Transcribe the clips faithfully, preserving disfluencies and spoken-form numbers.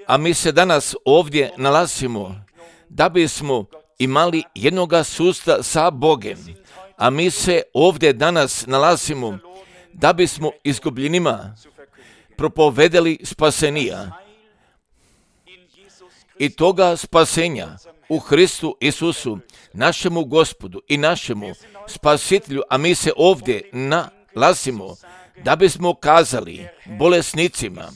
A mi se danas ovdje nalazimo da bismo imali jednoga susta sa Bogem. A mi se ovdje danas nalazimo da bismo izgubljenima propovedali spasenija. I toga spasenja u Hristu Isusu, našemu Gospodu i našemu Spasitelju, a mi se ovdje nalazimo da bismo kazali bolesnicima,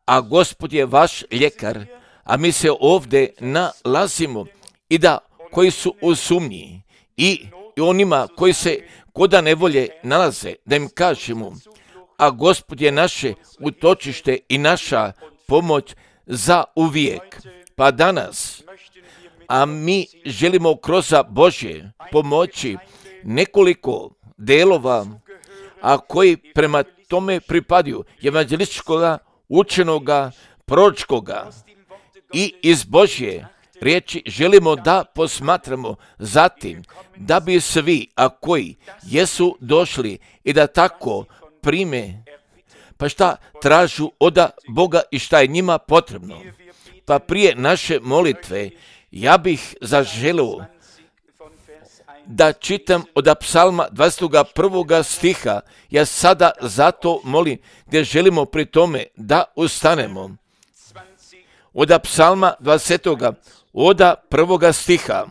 a Gospod je vaš ljekar, a mi se ovdje nalazimo i da koji su u sumnji i onima koji se koda nevolje nalaze, da im kažemo, a Gospod je naše utočište i naša pomoć za uvijek. Pa danas, a mi želimo kroz Božje pomoći nekoliko delova, a koji prema tome pripadaju evanđelističkoga, učenoga, proročkoga i iz Božje riječi želimo da posmatramo zatim da bi svi, a koji jesu došli i da tako prime, pa šta tražu od Boga i šta je njima potrebno. Pa prije naše molitve ja bih zaželio da čitam od psalma dvadeset prvog stiha. Ja sada zato molim gdje želimo pri tome da ustanemo. Od psalma dvadeset od prvog stiha.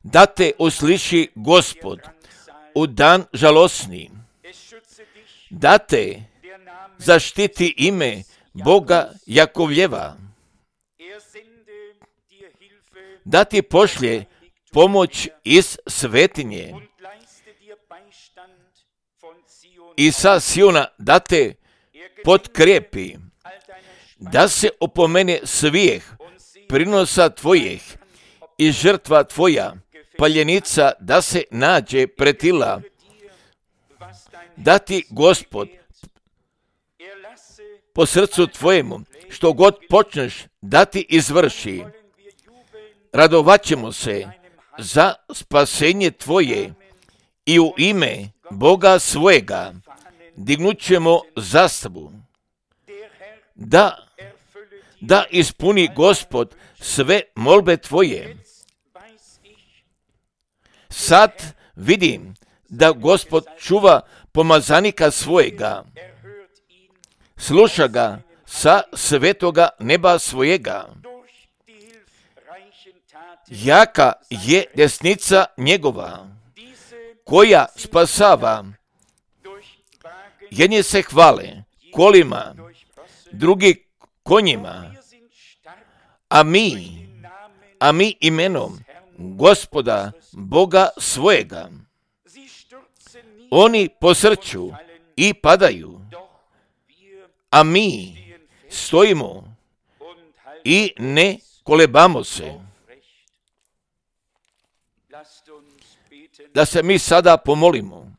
Da te usliši Gospod u dan žalosni, da te zaštiti ime Boga Jakovljeva, da ti pošlje pomoć iz svetinje i sa Siona da te potkrijepi, da se opomene svijeh prinosa tvojih i žrtva tvoja, paljenica da se nađe pretila, da ti Gospod po srcu tvojemu, što god počneš da ti izvrši. Radovat ćemo se za spasenje tvoje i u ime Boga svojega dignut ćemo zastavu. Da, da ispuni Gospod sve molbe tvoje. Sad vidim da Gospod čuva pomazanika svojega, sluša ga sa svetoga neba svojega. Jaka je desnica njegova, koja spasava. Jedni se hvale kolima, drugi konjima, a mi, a mi imenom Gospoda Boga svojega. Oni posrću i padaju, a mi stojimo i ne kolebamo se. Da se mi sada pomolimo.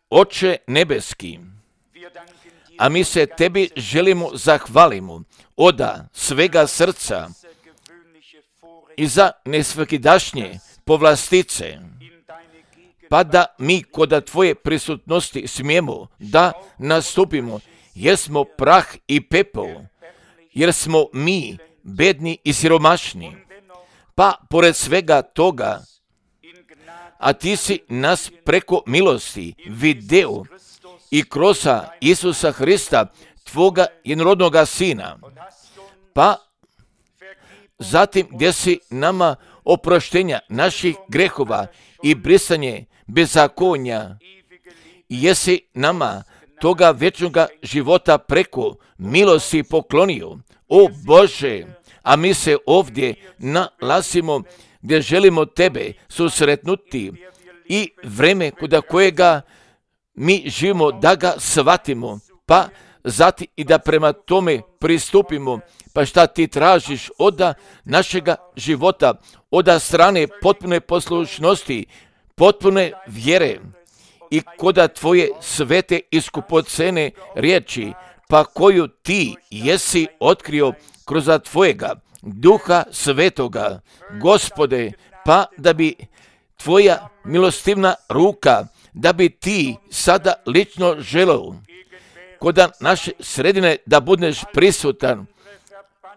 Oče nebeski, a mi se tebi želimo zahvalimo od svega srca i za nesvakidašnje povlastice, pa da mi kod tvoje prisutnosti smijemo da nastupimo, jer smo prah i pepel, jer smo mi bedni i siromašni. Pa pored svega toga, a ti si nas preko milosti video i kroz Isusa Hrista, tvoga jednorodnoga sina, pa zatim gdje si nama oproštenja naših grehova i brisanje bezakonja, jesi nama toga vječnoga života preko milosti poklonio. O Bože, a mi se ovdje nalazimo gdje želimo tebe susretnuti i vreme kod kojega mi živimo da ga shvatimo, pa zatim i da prema tome pristupimo. Pa šta ti tražiš od našega života, od strane potpune poslušnosti, potpune vjere i kod tvoje svete i skupocene riječi, pa koju ti jesi otkrio kroz tvojega Duha Svetoga, Gospode, pa da bi tvoja milostivna ruka da bi ti sada lično želeo kod naše sredine da budeš prisutan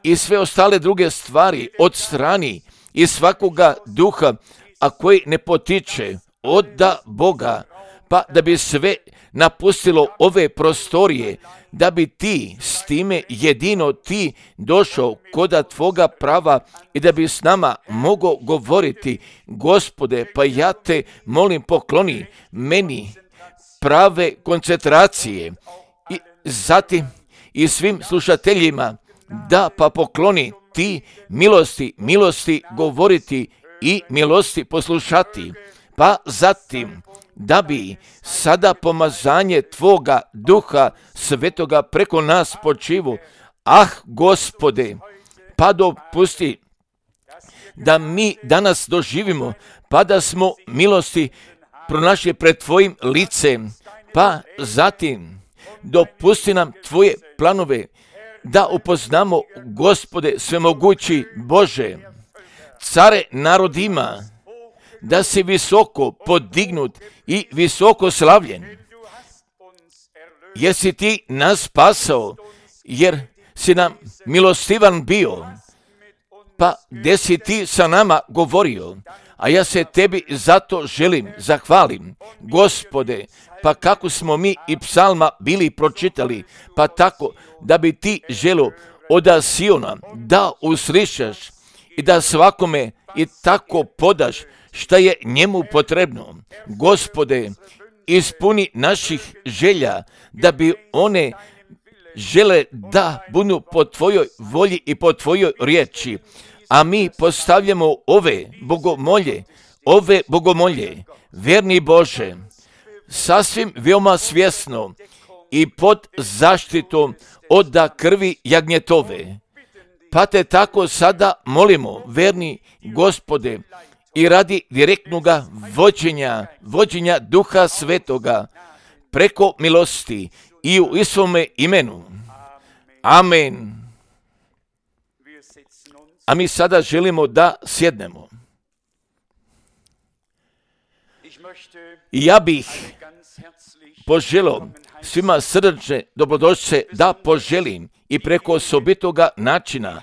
i sve ostale druge stvari od strani i svakoga duha, a koji ne potiče od Boga, pa da bi sve napustilo ove prostorije, da bi ti s time jedino ti došao koda tvoga prava i da bi s nama mogao govoriti, Gospode, pa ja te molim pokloni meni prave koncentracije i zatim i svim slušateljima da pa pokloni ti milosti, milosti govoriti i milosti poslušati, pa zatim da bi sada pomazanje tvoga duha svetoga preko nas počivu. Ah, Gospode, pa dopusti da mi danas doživimo, pa da smo milosti pronašli pred tvojim licem, pa zatim dopusti nam tvoje planove da upoznamo, Gospode, svemogući Bože, care narodima, da si visoko podignut i visoko slavljen, jer si ti nas spasao, jer si nam milostivan bio, pa gdje si ti sa nama govorio, a ja se tebi zato želim zahvalim, Gospode, pa kako smo mi i psalma bili pročitali, pa tako da bi ti želio od Siona da uslišaš i da svakome i tako podaš šta je njemu potrebno. Gospode, ispuni naših želja da bi one žele da budu po tvojoj volji i po tvojoj riječi, a mi postavljamo ove bogomolje, ove bogomolje, verni Bože, sasvim veoma svjesno i pod zaštitom od krvi jagnjetove. Pa te tako sada molimo, verni Gospode, i radi direktnoga vođenja, vođenja Duha Svetoga, preko milosti i u Isovome imenu. Amen. A mi sada želimo da sjednemo. I ja bih poželio svima srdačne dobrodošlice da poželim i preko osobitoga načina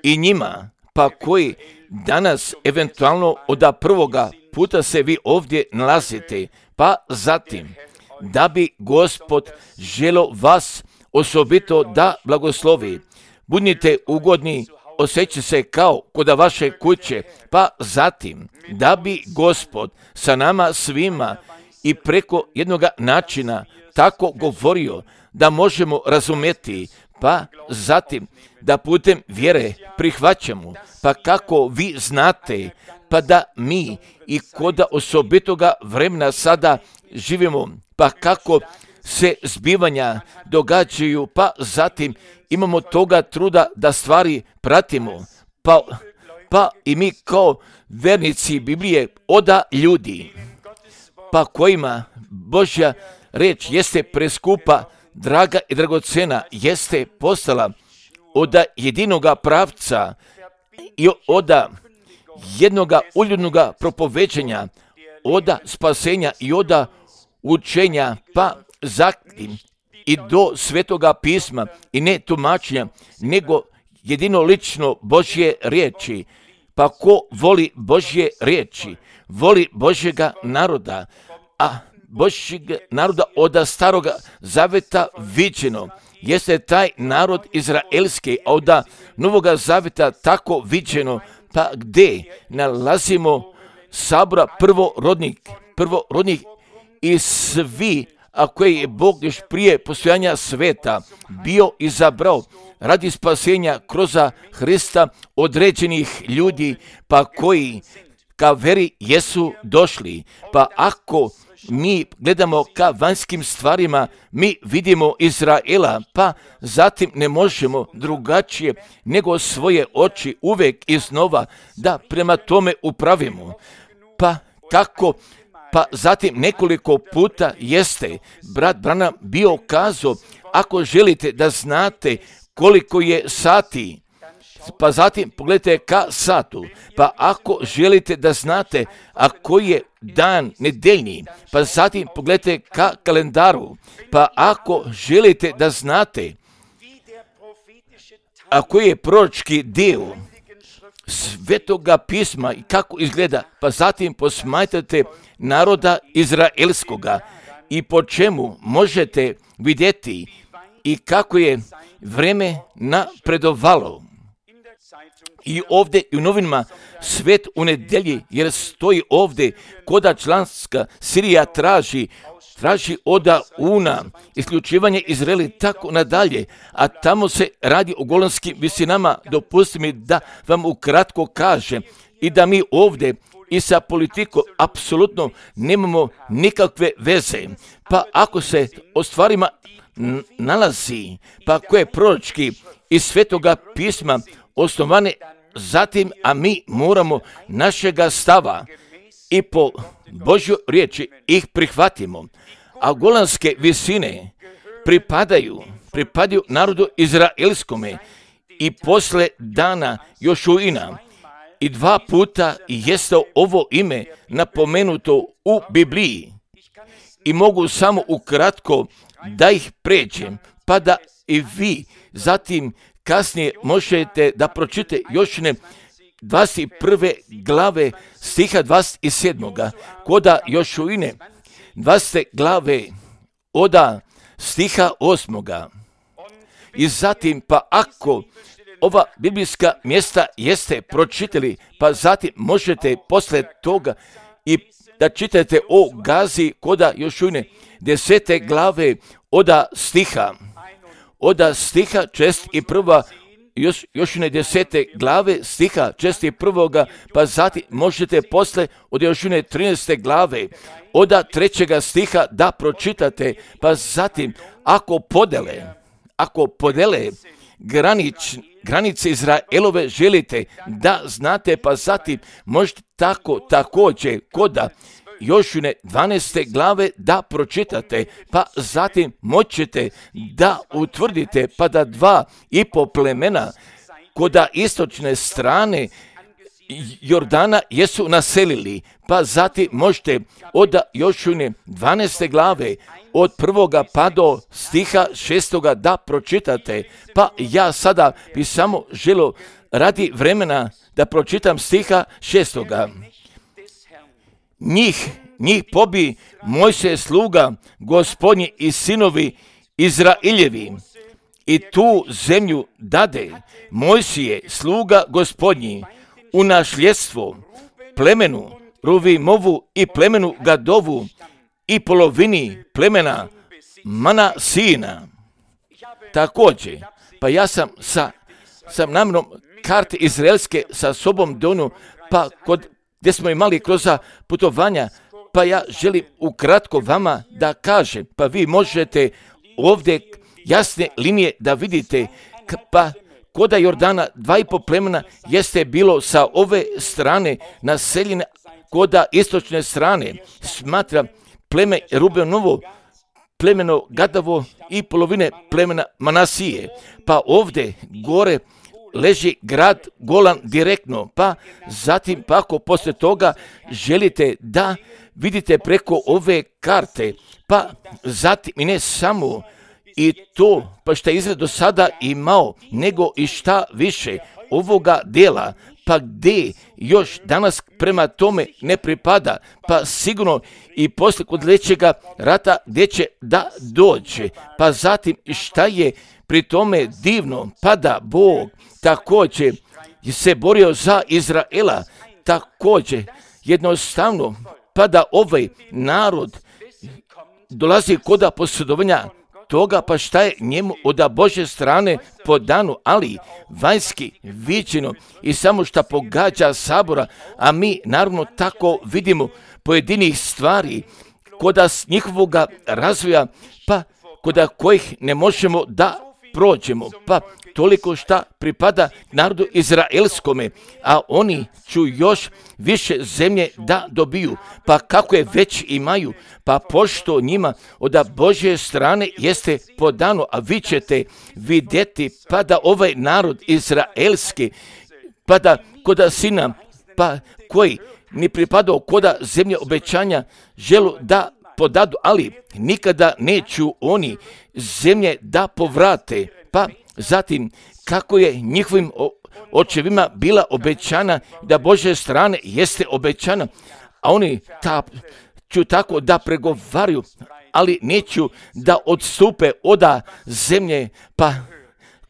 i njima, pa koji danas eventualno od prvoga puta se vi ovdje nalazite, pa zatim da bi Gospod želio vas osobito da blagoslovi. Budite ugodni, osjećajte se kao kod vaše kuće, pa zatim da bi Gospod sa nama svima i preko jednog načina tako govorio da možemo razumjeti, pa zatim da putem vjere prihvaćamo, pa kako vi znate, pa da mi i kod osobitoga vremena sada živimo, pa kako se zbivanja događaju, pa zatim imamo toga truda da stvari pratimo, pa, pa i mi kao vernici Biblije oda ljudi, pa kojima Božja reč jeste preskupa, draga i dragocena, jeste postala od jedinoga pravca i od jednoga uljudnoga propoveđenja, od spasenja i od učenja, pa zatim i do svetoga pisma i ne tumačenja, nego jedino lično Božje riječi. Pa ko voli Božje riječi, voli Božjega naroda, a Božjeg naroda od staroga zaveta viđeno jeste taj narod izraelski, a od novoga zaveta tako viđeno, pa gdje nalazimo sabora prvorodnih, prvorodnih i svi, a koje je Bog još prije postojanja sveta bio izabrao radi spasenja kroz Hrista određenih ljudi, pa koji ka veri jesu došli. Pa ako mi gledamo ka vanjskim stvarima, mi vidimo Izraela, pa zatim ne možemo drugačije nego svoje oči uvijek iznova da prema tome upravimo. Pa kako? Pa zatim nekoliko puta jeste brat Branham bio kazao, ako želite da znate koliko je sati, pa zatim pogledajte ka satu, pa ako želite da znate, a koji je dan nedeljni, pa zatim pogledajte ka kalendaru, pa ako želite da znate, a koji je proročki dio Svetoga pisma i kako izgleda, pa zatim posmatrate naroda izraelskoga i po čemu možete vidjeti i kako je vreme napredovalo. I ovdje i u novinama Svet u nedelji, jer stoji ovdje koda članska Sirija traži, traži oda una, isključivanje Izraeli, tako nadalje, a tamo se radi o golanskim visinama. Dopustite mi da vam ukratko kažem i da mi ovdje i sa politikom apsolutno nemamo nikakve veze. Pa ako se o stvarima nalazi, pa koje proročki iz Svetoga pisma osnovane zatim, a mi moramo našega stava i po Božjoj riječi ih prihvatimo. A golanske visine pripadaju, pripadaju narodu izraelskome i posle dana Jošuina. I dva puta jeste ovo ime napomenuto u Bibliji. I mogu samo ukratko da ih pređem, pa da i vi zatim kasnije možete da pročitate Jošine dvadeset prve glave stiha dvadeset sedam. Koda Jošuine dvadesete glave oda stiha osam. I zatim pa ako ova biblijska mjesta jeste pročitali, pa zatim možete posle toga i da čitate o Gazi koda Jošuine desete glave oda stiha. Oda stiha čest i prva još, Jošine desete glave stiha čest i prvoga, pa zatim možete posle od Jošine trinaeste glave oda trećega stiha da pročitate, pa zatim ako podele, ako podele granič, granice Izraelove želite da znate, pa zatim možete tako također koda Jošine dvanaeste glave da pročitate, pa zatim moćete da utvrdite, pa da dva i po plemena koda istočne strane Jordana jesu naselili, pa zatim možete od Jošine dvanaeste glave od prvoga pa do stiha šestoga da pročitate, pa ja sada bi samo želio radi vremena da pročitam stiha šestoga. Njih, njih pobi Mojsije sluga Gospodnji i sinovi Izraeljevi i tu zemlju dade Mojsije sluga Gospodnji u nasljedstvo plemenu Ruvimovu i plemenu Gadovu i polovini plemena Manasina. Također, pa ja sam sa, sa namjerom karte izraelske sa sobom donio, pa kod gdje smo imali kroz putovanja, pa ja želim ukratko vama da kažem, pa vi možete ovdje jasne linije da vidite, pa koda Jordana dva i po plemena jeste bilo sa ove strane naseljene, koda istočne strane smatra pleme Rubenovo, plemeno Gadovo i polovine plemena Manasije. Pa ovdje gore leži grad Golan direktno, pa zatim pa ako poslije toga želite da vidite preko ove karte, pa zatim i ne samo i to, pa šta je Izrael do sada imao, nego i šta više ovoga dela, pa gdje još danas prema tome ne pripada, pa sigurno i poslije kod sljedećega rata gdje će da dođe, pa zatim šta je pri tome divno, pa da Bog također se borio za Izraela, također jednostavno, pa da ovaj narod dolazi koda posjedovanja toga, pa šta je njemu od Božje strane po danu, ali vanjski viđeno i samo šta pogađa sabora, a mi naravno tako vidimo pojedinih stvari koda s njihovoga razvoja, pa koda kojih ne možemo da prođemo, pa toliko šta pripada narodu izraelskome, a oni ću još više zemlje da dobiju, pa kako je već imaju, pa pošto njima od Božje strane jeste podano, a vi ćete vidjeti, pa da ovaj narod izraelski, pa da koda sina, pa koji ni pripadao koda zemlje obećanja želu da podadu, ali nikada neću oni zemlje da povrate. Pa zatim kako je njihovim očevima bila obećana, da Božje strane jeste obećana, a oni ta, ću tako da pregovaraju, ali neću da odstupe od zemlje, pa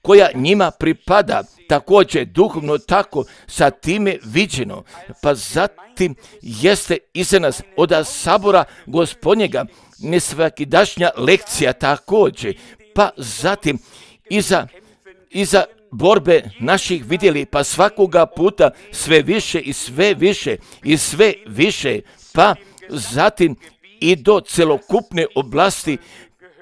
koja njima pripada, također duhovno tako sa time viđeno. Pa zatim jeste iza nas od sabora Gospodnjega nesvakidašnja lekcija također, pa zatim iza, iza borbe naših vidjeli, pa svakoga puta sve više i sve više i sve više, pa zatim i do celokupne oblasti,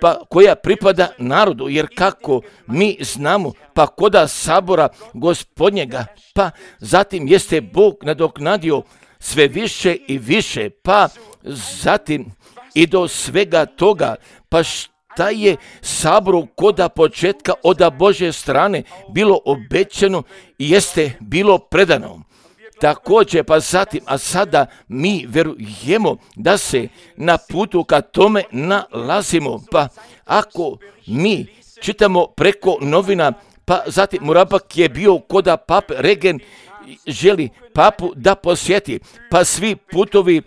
pa koja pripada narodu, jer kako mi znamo, pa koda sabora Gospodnjega, pa zatim jeste Bog nadoknadio sve više i više, pa zatim i do svega toga, pa šta je saboru koda početka od Božje strane bilo obećano i jeste bilo predano. Također, pa zatim, a sada mi verujemo da se na putu ka tome nalazimo, pa ako mi čitamo preko novina, pa zatim Murabak je bio koda pape Regen želi papu da posjeti, pa svi putovi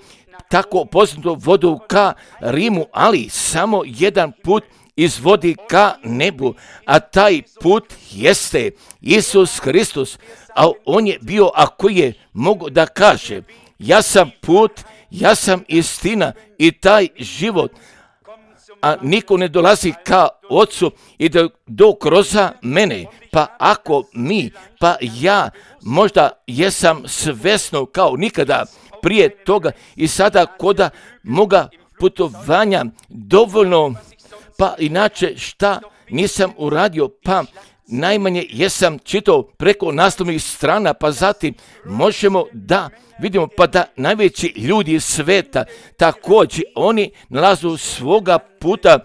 tako poznato vodu ka Rimu, ali samo jedan put izvodi ka nebu, a taj put jeste Isus Hristos, a on je bio, ako je mogu da kaže, ja sam put, ja sam istina i taj život, a niko ne dolazi ka Ocu i do, do kroza mene. Pa ako mi, pa ja možda jesam svesno kao nikada prije toga i sada koda moga putovanja dovoljno, pa inače šta nisam uradio, pa najmanje jesam čitao preko naslovnih strana, pa zatim možemo da vidimo pa da najveći ljudi sveta također oni nalazu svoga puta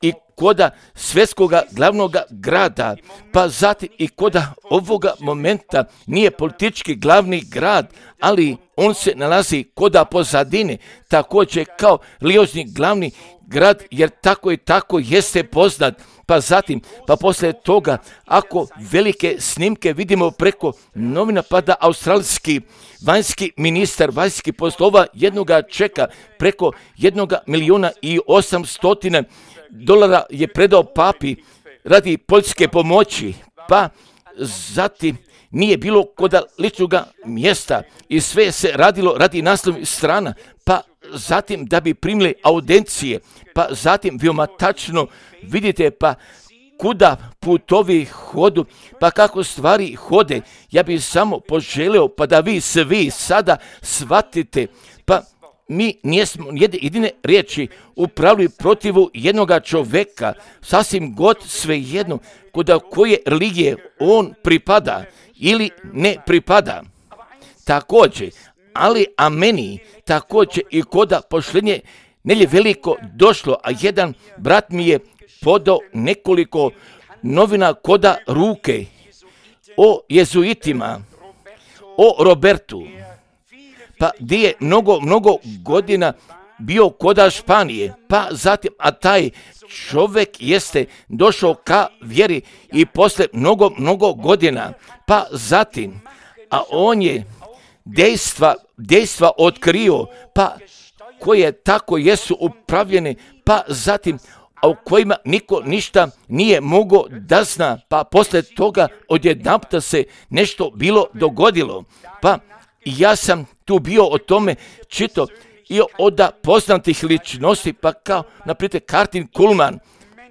i koda svjetskoga glavnoga grada, pa zatim i koda ovoga momenta nije politički glavni grad, ali on se nalazi koda pozadine, također kao religiozni glavni grad, jer tako i tako jeste poznat. Pa zatim, pa poslije toga, ako velike snimke vidimo preko novina, pa da australijski vanjski ministar vanjskih poslova jednoga čeka preko jednoga milijuna i osamstotina dolara je predao papi radi poljske pomoći, pa zatim nije bilo koda ličnoga mjesta i sve se radilo radi naslovnih strana, pa zatim da bi primili audencije, pa zatim veoma tačno vidite pa kuda putovi hodu, pa kako stvari hode. Ja bih samo poželio pa da vi svi sada shvatite, pa mi nijesmo jedine riječi upravili protivu jednoga čoveka, sasvim god svejedno kuda koje religije on pripada ili ne pripada. Također, ali a meni također i koda pošljenje nelje veliko došlo, a jedan brat mi je podao nekoliko novina koda ruke o jezuitima, o Robertu, pa gdje je mnogo, mnogo godina bio koda Španije, pa zatim, a taj čovjek jeste došao ka vjeri i posle mnogo, mnogo godina, pa zatim, a on je dejstva, dejstva otkrio, pa koje tako jesu upravljene, pa zatim, a u kojima niko ništa nije mogao da zna, pa posle toga odjedanputa se nešto bilo dogodilo. Pa ja sam tu bio o tome čito i od poznatih ličnosti, pa kao naprijed Kartin Kulman,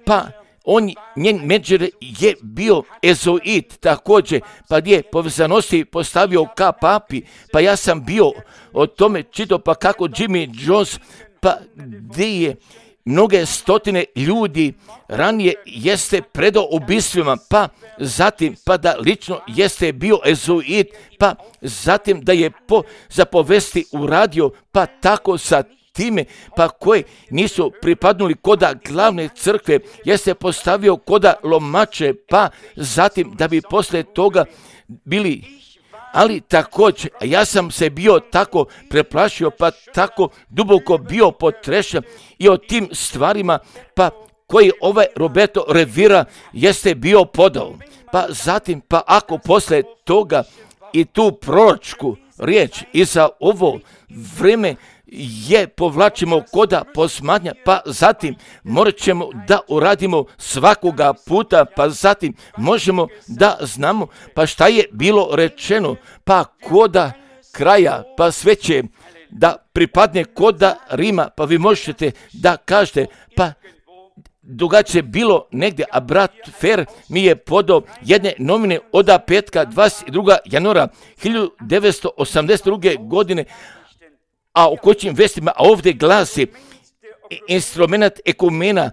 pa on, njen menadžer je bio ezoit također, pa gdje povezanosti postavio ka papi, pa ja sam bio o tome čito, pa kako Jimmy Jones, pa gdje je mnoge stotine ljudi ranije jeste predao ubistvima, pa zatim pa da lično jeste bio ezuit, pa zatim da je po zapovesti uradio, pa tako sa time, pa koji nisu pripadnuli koda glavne crkve, jeste postavio koda lomače, pa zatim da bi posle toga bili, ali također ja sam se bio tako preplašio, pa tako duboko bio potrešen i o tim stvarima, pa koji ovaj Roberto Rivera jeste bio podao. Pa zatim, pa ako posle toga i tu proročku riječ i za ovo vrijeme je povlačimo koda posmatnja, pa zatim morat ćemo da uradimo svakoga puta, pa zatim možemo da znamo pa šta je bilo rečeno, pa koda kraja, pa sve će da pripadne koda Rima, pa vi možete da kažete, pa drugačije bilo negdje, a brat Fer mi je podao jedne novine od petka dvadeset drugog januara hiljadu devetsto osamdeset druge godine, a o koćim vestima, a ovdje glasi instrument ekumena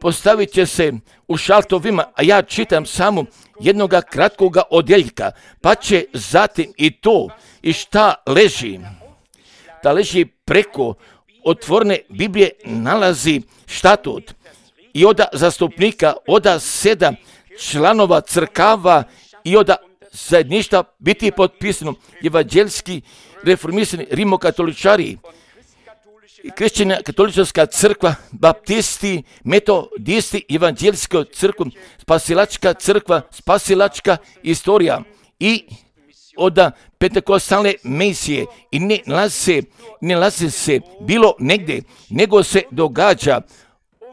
postavit će se u šaltovima, a ja čitam samo jednoga kratkoga odjeljka, pa će zatim i to i šta leži, da leži preko otvorene Biblije nalazi štatut i od zastupnika, od sedam članova crkava i od zajedništva biti potpisano evanđelski reformisani rimokatoličari, kršćana katolička crkva, baptisti, metodisti, evanđelska crkva, spasilačka crkva, spasilačka istorija i od pentekostalne misije i ne nalazi se, ne nalazi se bilo negdje, nego se događa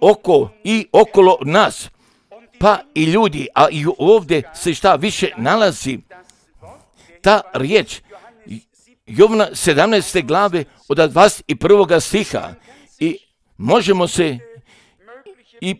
oko i okolo nas, pa i ljudi, a i ovdje se šta više nalazi, ta riječ Jovana sedamnaeste glave od dvadeset prvog stiha i možemo se i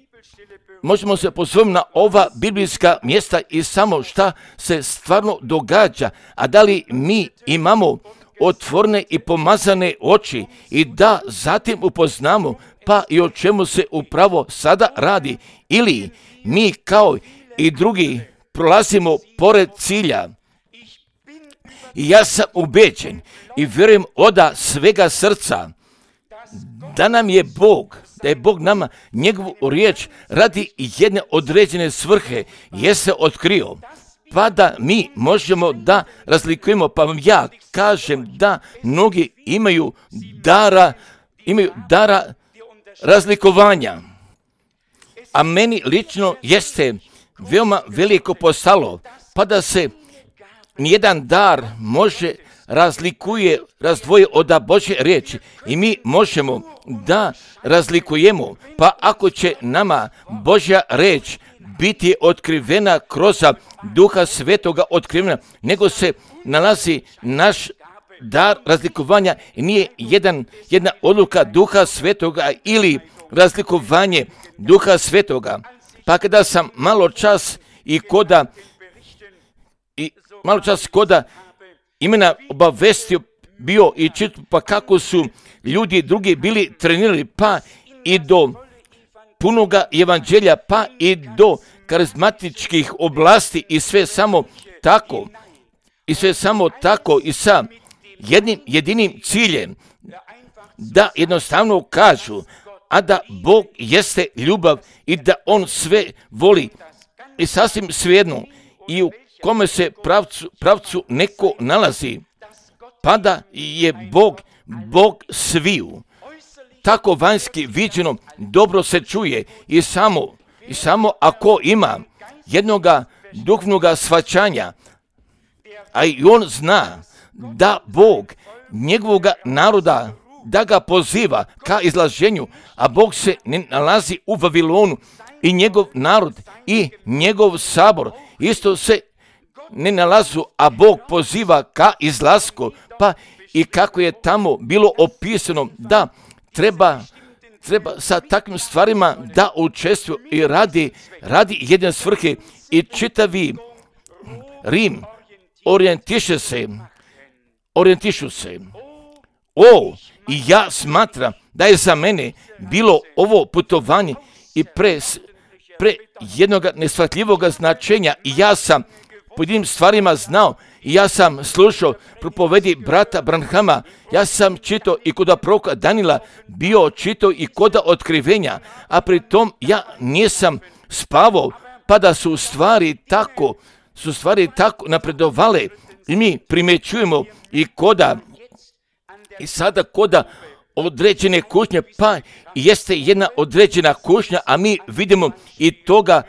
možemo se pozvati na ova biblijska mjesta i samo šta se stvarno događa, a da li mi imamo otvorene i pomazane oči i da zatim upoznamo pa i o čemu se upravo sada radi, ili mi kao i drugi prolazimo pored cilja. I ja sam ubeđen i vjerujem od svega srca da nam je Bog, da je Bog nama njegovu riječ radi jedne određene svrhe je se otkrio, pa da mi možemo da razlikujemo, pa vam ja kažem da mnogi imaju dara, imaju dara razlikovanja, a meni lično jeste veoma veliko postalo, pa da se nijedan dar može razlikuje, razdvoje od Božje riječi i mi možemo da razlikujemo, pa ako će nama Božja riječ biti otkrivena kroz Duha Svetoga otkrivena, nego se nalazi naš dar razlikovanja i nije jedan, jedna odluka Duha Svetoga ili razlikovanje Duha Svetoga. Pa kada sam malo čas i koda i malo čas koda imena obavestio bio i čitu pa kako su ljudi drugi bili trenirali, pa i do punoga evanđelja, pa i do karizmatičkih oblasti i sve samo tako, i sve samo tako i sa jednim jedinim ciljem da jednostavno kažu, a da Bog jeste ljubav i da On sve voli i sasvim svejedno i u kome se pravcu, pravcu neko nalazi, pa da je Bog, Bog sviju. Tako vanjski viđeno dobro se čuje i samo, i samo ako ima jednoga duhovnoga shvaćanja, a i on zna da Bog njegovoga naroda da ga poziva ka izlaženju, a Bog se ne nalazi u Vavilonu i njegov narod i njegov sabor isto se ne nalazu, a Bog poziva ka izlasku, pa i kako je tamo bilo opisano da treba, treba sa takvim stvarima da učestvuje i radi, radi jedne svrhe i čitavi Rim orijentiše se, orijentišu se O, i ja smatram da je za mene bilo ovo putovanje i pre, pre jednog neshvatljivog značenja i ja sam po jednim stvarima znao i ja sam slušao propovedi brata Branhama, ja sam čitao i kod proroka Danila, bio čitao i kod otkrivenja, a pri tom ja nisam spavao, pa da su stvari tako, su stvari tako napredovale i mi primjećujemo i koda, i sada koda određene kušnje, pa jeste jedna određena kušnja, a mi vidimo i toga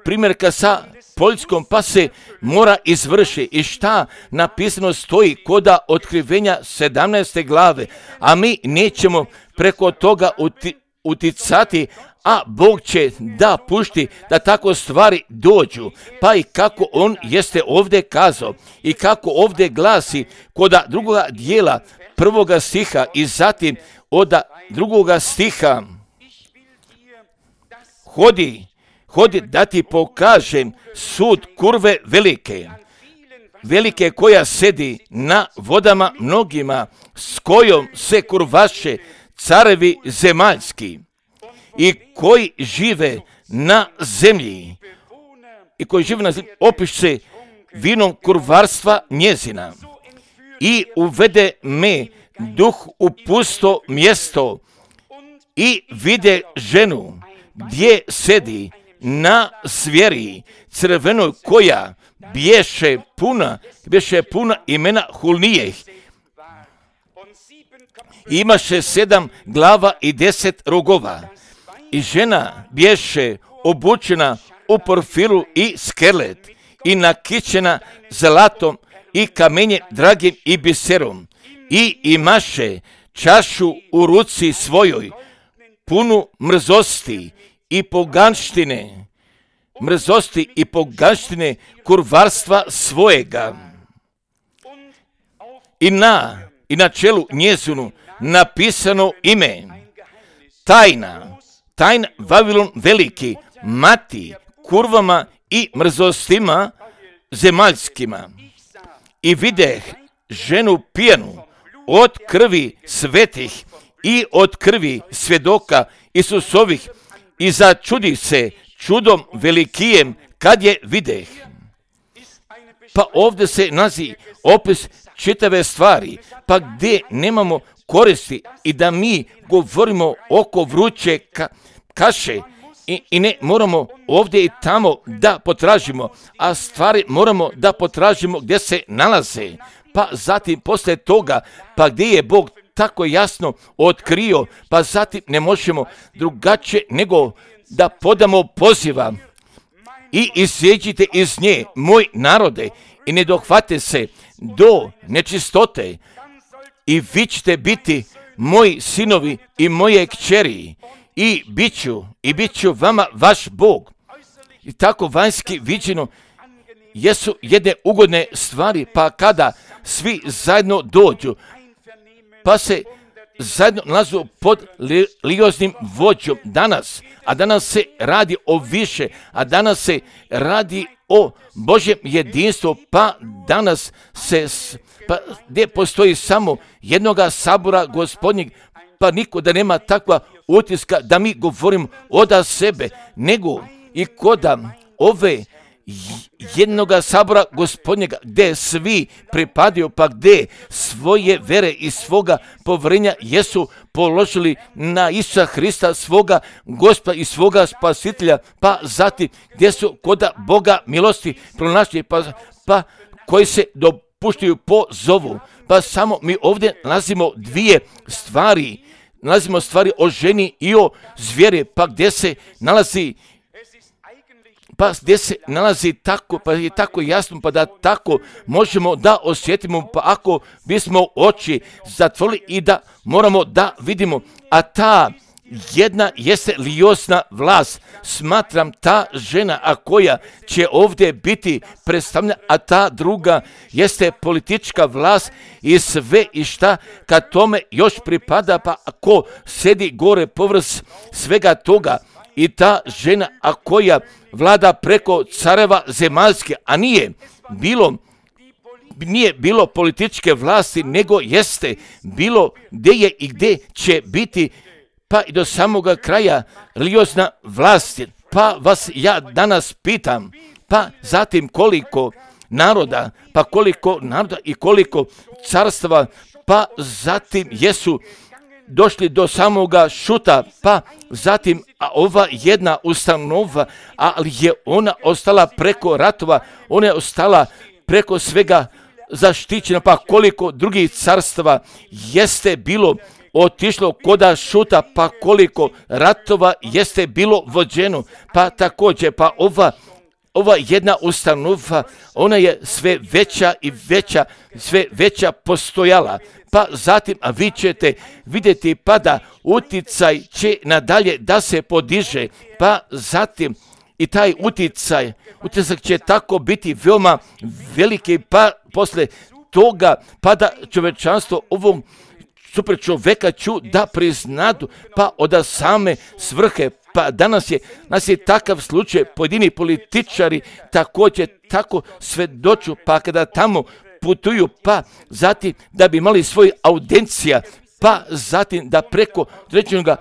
primjerka sa Poljskom, pa se mora izvrši. I šta napisano stoji koda otkrivenja sedamnaeste glave, a mi nećemo preko toga uti, uticati, a Bog će da pušti da tako stvari dođu. Pa i kako on jeste ovdje kazao i kako ovdje glasi koda drugoga dijela prvoga stiha i zatim od drugoga stiha, hodi, hodi da ti pokažem sud kurve velike, velike koja sedi na vodama mnogima, s kojom se kurvaše carevi zemaljski i koji žive na zemlji, i koji žive na zemlji, opiše vinom kurvarstva njezina. I uvede me duh u pusto mjesto i vide ženu gdje sedi na zvijeri crvenoj, koja bješe puna, bješe puna imena hulnijeh. Imaše sedam glava i deset rogova. I žena bješe obučena u porfiru i skelet i nakićena zlatom i kamenjem dragim i biserom. I imaše čašu u ruci svojoj, punu mrzosti i poganštine, mrzosti i poganštine kurvarstva svojega. I na, i na čelu njezinu napisano ime, tajna, tajna Vavilon veliki, mati kurvama i mrzostima zemaljskima. I videh ženu pijanu od krvi svetih i od krvi svjedoka Isusovih i začudi se čudom velikijem kad je videh. Pa ovdje se nalazi opis čitave stvari, pa gdje nemamo koristi i da mi govorimo oko vruće ka, kaše i, i ne moramo ovdje i tamo da potražimo, a stvari moramo da potražimo gdje se nalaze. Pa zatim poslije toga, pa gdje je Bog tako jasno otkrio, pa zatim ne možemo drugačije nego da podamo poziva. I isjeđite iz nje, moj narode, i ne dohvate se do nečistote, i vi ćete biti moji sinovi i moje kćeri, i bit ću, i bit ću vama vaš Bog. I tako vanjski viđeno jesu jedne ugodne stvari, pa kada svi zajedno dođu, pa se zajedno nalazu pod religioznim vođom danas, a danas se radi o više, a danas se radi o Božjem jedinstvu, pa danas se, pa gdje postoji samo jednoga sabora Gospodnjeg, pa niko da nema takva utiska da mi govorimo od sebe, nego i koda ove jednoga sabora Gospodnjega, gdje svi pripadaju, pa gdje svoje vere i svoga povjerenja jesu položili na Isusa Hrista, svoga Gospoda i svoga Spasitelja, pa zatim gdje su koda Boga milosti pronašli, pa, pa koji se dopuštaju po zovu. Pa samo mi ovdje nalazimo dvije stvari, nalazimo stvari o ženi i o zvijeri, pa gdje se nalazi pa gdje se nalazi tako, pa je tako jasno, pa da tako možemo da osjetimo, pa ako bismo oči zatvorili i da moramo da vidimo, a ta jedna jeste religiozna vlast, smatram ta žena, a koja će ovdje biti predstavljena, a ta druga jeste politička vlast i sve i šta kad tome još pripada, pa ako sedi gore povrh svega toga, i ta žena, a koja vlada preko careva zemaljske, a nije bilo nije bilo političke vlasti, nego jeste bilo gdje je i gdje će biti, pa i do samoga kraja religiozna vlast. Pa vas ja danas pitam, pa zatim koliko naroda, pa koliko naroda i koliko carstva, pa zatim jesu došli do samoga šuta, pa zatim a ova jedna ustanova, ali je ona ostala preko ratova, ona je ostala preko svega zaštićena, pa koliko drugih carstava jeste bilo otišlo koda šuta, pa koliko ratova jeste bilo vođeno, pa također, pa ova Ova jedna ustanova, ona je sve veća i veća, sve veća postojala. Pa zatim, a vi ćete vidjeti pa da uticaj će nadalje da se podiže, pa zatim i taj uticaj, uticaj će tako biti veoma veliki, pa posle toga pa da čovečanstvo ovom super čoveka ću da priznadu, pa od same svrhe. Pa danas je, nas je takav slučaj, pojedini političari također tako svedoču, pa kada tamo putuju, pa zatim da bi imali svoj audiencija, pa zatim da preko određenog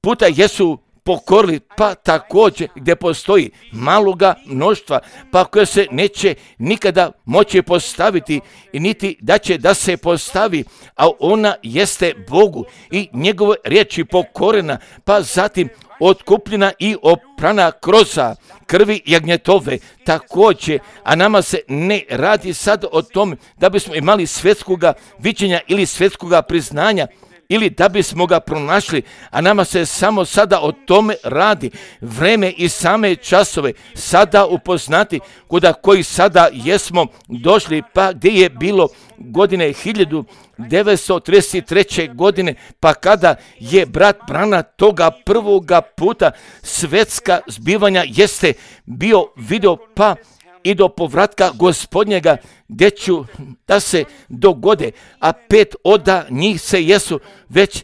puta jesu pokorili, pa također gdje postoji maloga mnoštva, pa koje se neće nikada moći postaviti i niti da će da se postavi, a ona jeste Bogu i njegove riječi pokorena, pa zatim otkupljena i oprana kroz krvi jagnjetove također, a nama se ne radi sad o tome da bismo imali svjetskoga viđenja ili svjetskoga priznanja, ili da bismo ga pronašli, a nama se samo sada o tome radi, vreme i same časove sada upoznati, kuda koji sada jesmo došli, pa gdje je bilo godine hiljadu devetsto trideset treće. godine, pa kada je brat Brana toga prvoga puta svjetska zbivanja jeste bio video, pa i do povratka Gospodnjega gdje ću da se dogode, a pet oda njih se jesu već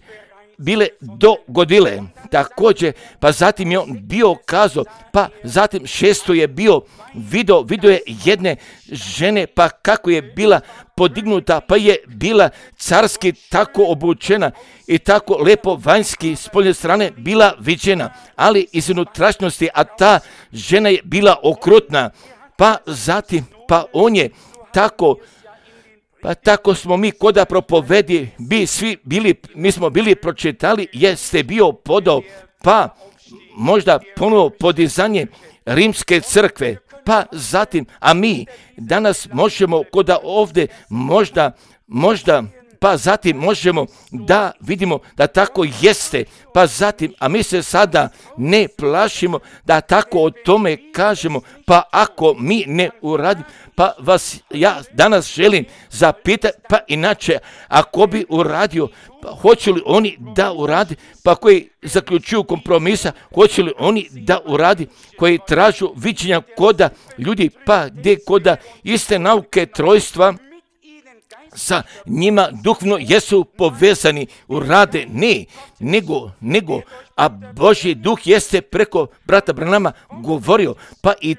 bile dogodile. Također, pa zatim je on bio kazao, pa zatim šesto je bio video, video je jedne žene, pa kako je bila podignuta, pa je bila carski tako obučena i tako lepo vanjski s polje strane bila viđena, ali iz unutrašnjosti, a ta žena je bila okrutna. Pa zatim, pa on je tako, pa tako smo mi koda propovedi, bi svi bili, mi smo bili pročitali, jeste bio podao, pa možda ponovo podizanje rimske crkve, pa zatim, a mi danas možemo koda ovdje možda, možda, pa zatim možemo da vidimo da tako jeste, pa zatim, a mi se sada ne plašimo da tako o tome kažemo, pa ako mi ne uradimo, pa vas ja danas želim zapitati, pa inače, ako bi uradio, pa hoće li oni da uradi, pa koji zaključuju kompromisa, hoće li oni da uradi, koji tražu viđenja koda ljudi, pa gdje koda iste nauke trojstva, sa njima duhovno jesu povezani u rade, ne, nego, nego, a Božji duh jeste preko brata Branama govorio, pa i